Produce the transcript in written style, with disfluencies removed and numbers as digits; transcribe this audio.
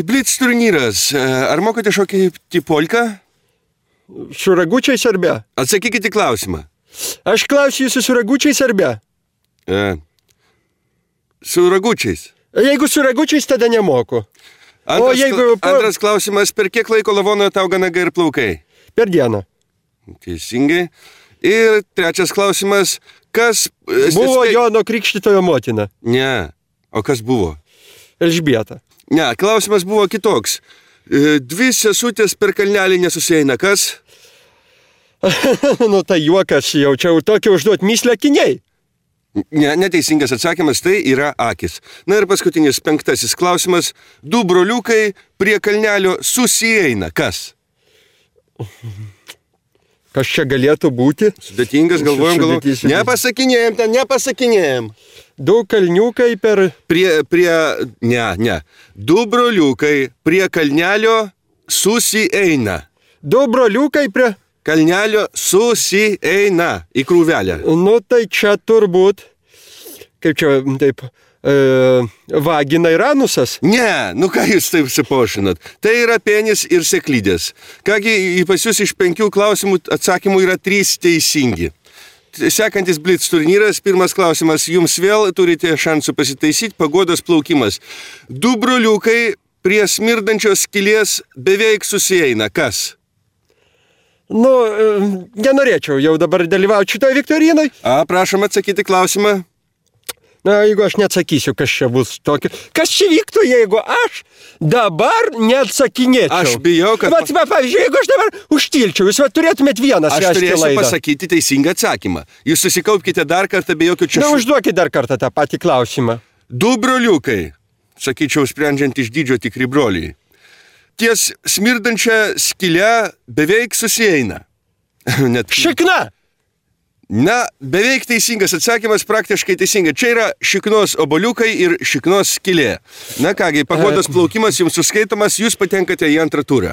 Blitz turnyras. Ar mokate šokį polką? Su ragučiais ar be? Atsakykite klausimą. Aš klausiu jūsų su ragučiais ar be? Su ragučiais. Jeigu su ragučiais, tada nemoku. Antras klausimas, per kiek laiko lavonoje tau nagai ir plaukai? Per dieną. Teisingai. Ir trečias klausimas, kas... Buvo Jono Krikštytojo motina. Ne. O kas buvo? Elžbieta. Ne, klausimas buvo kitoks. Dvi sesutės per kalnelį nesusieina, kas? Nu tai juokas, jaučiau tokį užduot myslę akiniai. Ne, neteisingas atsakymas, tai yra akis. Na ir paskutinis 5. klausimas. Du broliukai prie kalnelio susieina, kas? Kas čia galėtų būti? Sudėtingas, galvojam. Nepasakinėjam. Du kalniukai per... Ne. Du broliukai prie kalnelio susieina. Du broliukai prie... Kalnelio susieina į krūvelę. Nu tai čia turbūt, kaip čia taip, vagina ir anusas. Ne, nu ką jūs taip sipošinat. Tai yra penis ir seklydės. Kągi, pas jūs iš 5 klausimų atsakymų yra 3 teisingi. Sekantis Blitz turnyras, pirmas klausimas, jums vėl turite šansų pasitaisyti, pagodos plaukimas. Du broliukai prie smirdančios skylės beveik susieina, kas? Nu, nenorėčiau jau dabar dalyvauti šitoje viktorinai. Prašom atsakyti klausimą. Na, jeigu aš neatsakysiu, kas čia bus tokio. Kas čia vyktų, jeigu aš dabar neatsakinėčiau? Aš bijau, kad... Pavyzdžiui, jeigu aš dabar užtilčiau, jūs turėtumėt vienas aš turėsiu pasakyti teisingą atsakymą. Jūs susikaupkite dar kartą, be jokių čia... Na, užduokit dar kartą tą patį klausimą. Du broliukai, sakyčiau, sprendžiant iš dydžio tikri broliai. Ties smirdančią skylę beveik susieina. Šikna! Na, beveik teisingas atsakymas, praktiškai teisingai. Čia yra šiknos oboliukai ir šiknos skylė. Na kągi, pagodos plaukimas jums suskaitomas, jūs patenkate į antrą turą.